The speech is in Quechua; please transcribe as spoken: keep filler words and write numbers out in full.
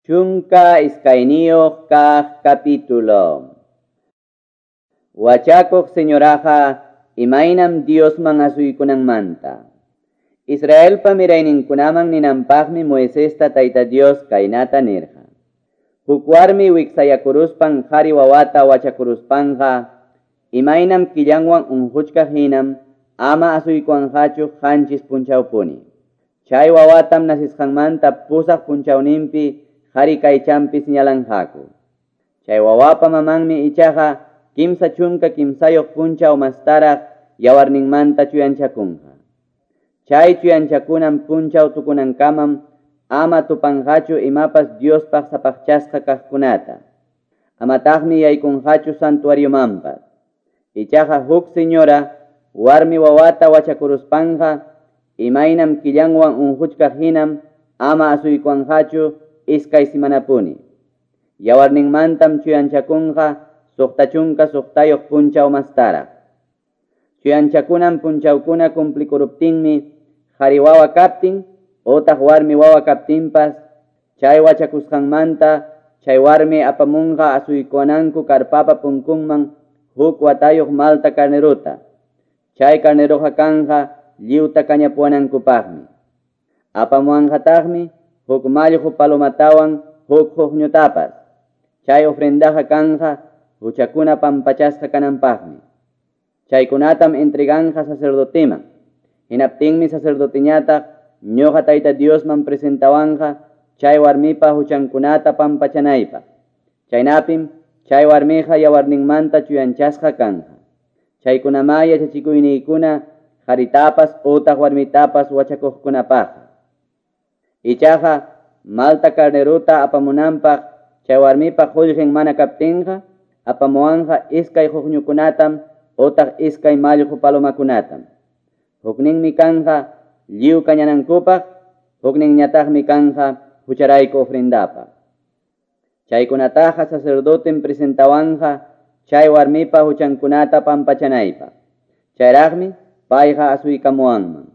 Chunka iskayniyuq kaq capítulo. Wachakuq señoraqa imaynam Diosman asuykunanmanta. Israelpa mirayninkunaman ninanpaqmi Moisesta Tayta Dios kaynata nirqa. Huk warmi wiksayakuruspan qhari wawata wachakuruspanqa imaynam killanwan unquchkaq hinam ama asuykuwanqachu qanchis punchawpuni. Chay wawatam nasisqanmanta pusaq punchawninpi qhari kaychanpi señalanqaku. Chay wawapa mamanmi ichaqa kimsa chunka kimsayuq punchaw mastaraq yawarninmanta chuyanchakunqa. Chay chuyanchakunan punchaw tukunankamam ama tupanqachu imapas Diospaq sapaqchasqa kaqkunata. Amataqmi yaykunqachu santuariomanpas. Ichaqa huk señora warmi wawata wachakuruspanqa imaynam killanwan unquchkaq hinam ama asuykuwanqachu iskay simanapuni. Yawarninmantam chuyanchakunqa suqta chunka suqtayuq punchaw mastaraq. Chuyanchakunan punchawkuna cumplikuruptinmi qhari wawa kaptin utaq warmi wawa kaptinpas chay wachakusqanmanta chay warmi apamunqa asuykuwananku karpapa punkunman huk watayuq malta carneruta. Chay carneruqa kanqa lliwta kañapuwanankupaqmi. Apamuwanqataqmi huk mallqu palomatawan huk huqñutapas. Chay ofrendaqa kanqa huchakuna pampachasqa kananpaqmi. Chaykunatam entreganqa sacerdoteman. Hinaptinmi sacerdoteñataq ñuqa Tayta Diosman presentawanqa chay warmipa huchankunata pampachanaypaq. Chaynapim chay warmiqa yawarninmanta chuyanchasqa kanqa. Chaykunamá yachachikuyniykuna qharitapas utaq warmitapas wachakuqkunapaqqa. Ichaqa malta carneruta apamunanpaq chay warmipa qullqin mana kaptinqa apamuwanqa iskay huqñukunatam utaq iskay mallqu palomakunatam. Hukninmi kanqa lliw kañanankupaq, hukninñataqmi kanqa hucharayku ofrendapaq. Chaykunataqa sacerdotem presentawanqa chay warmipa huchankunata pampachanaypaq. Chayraqmi payqa asuykamuwanman.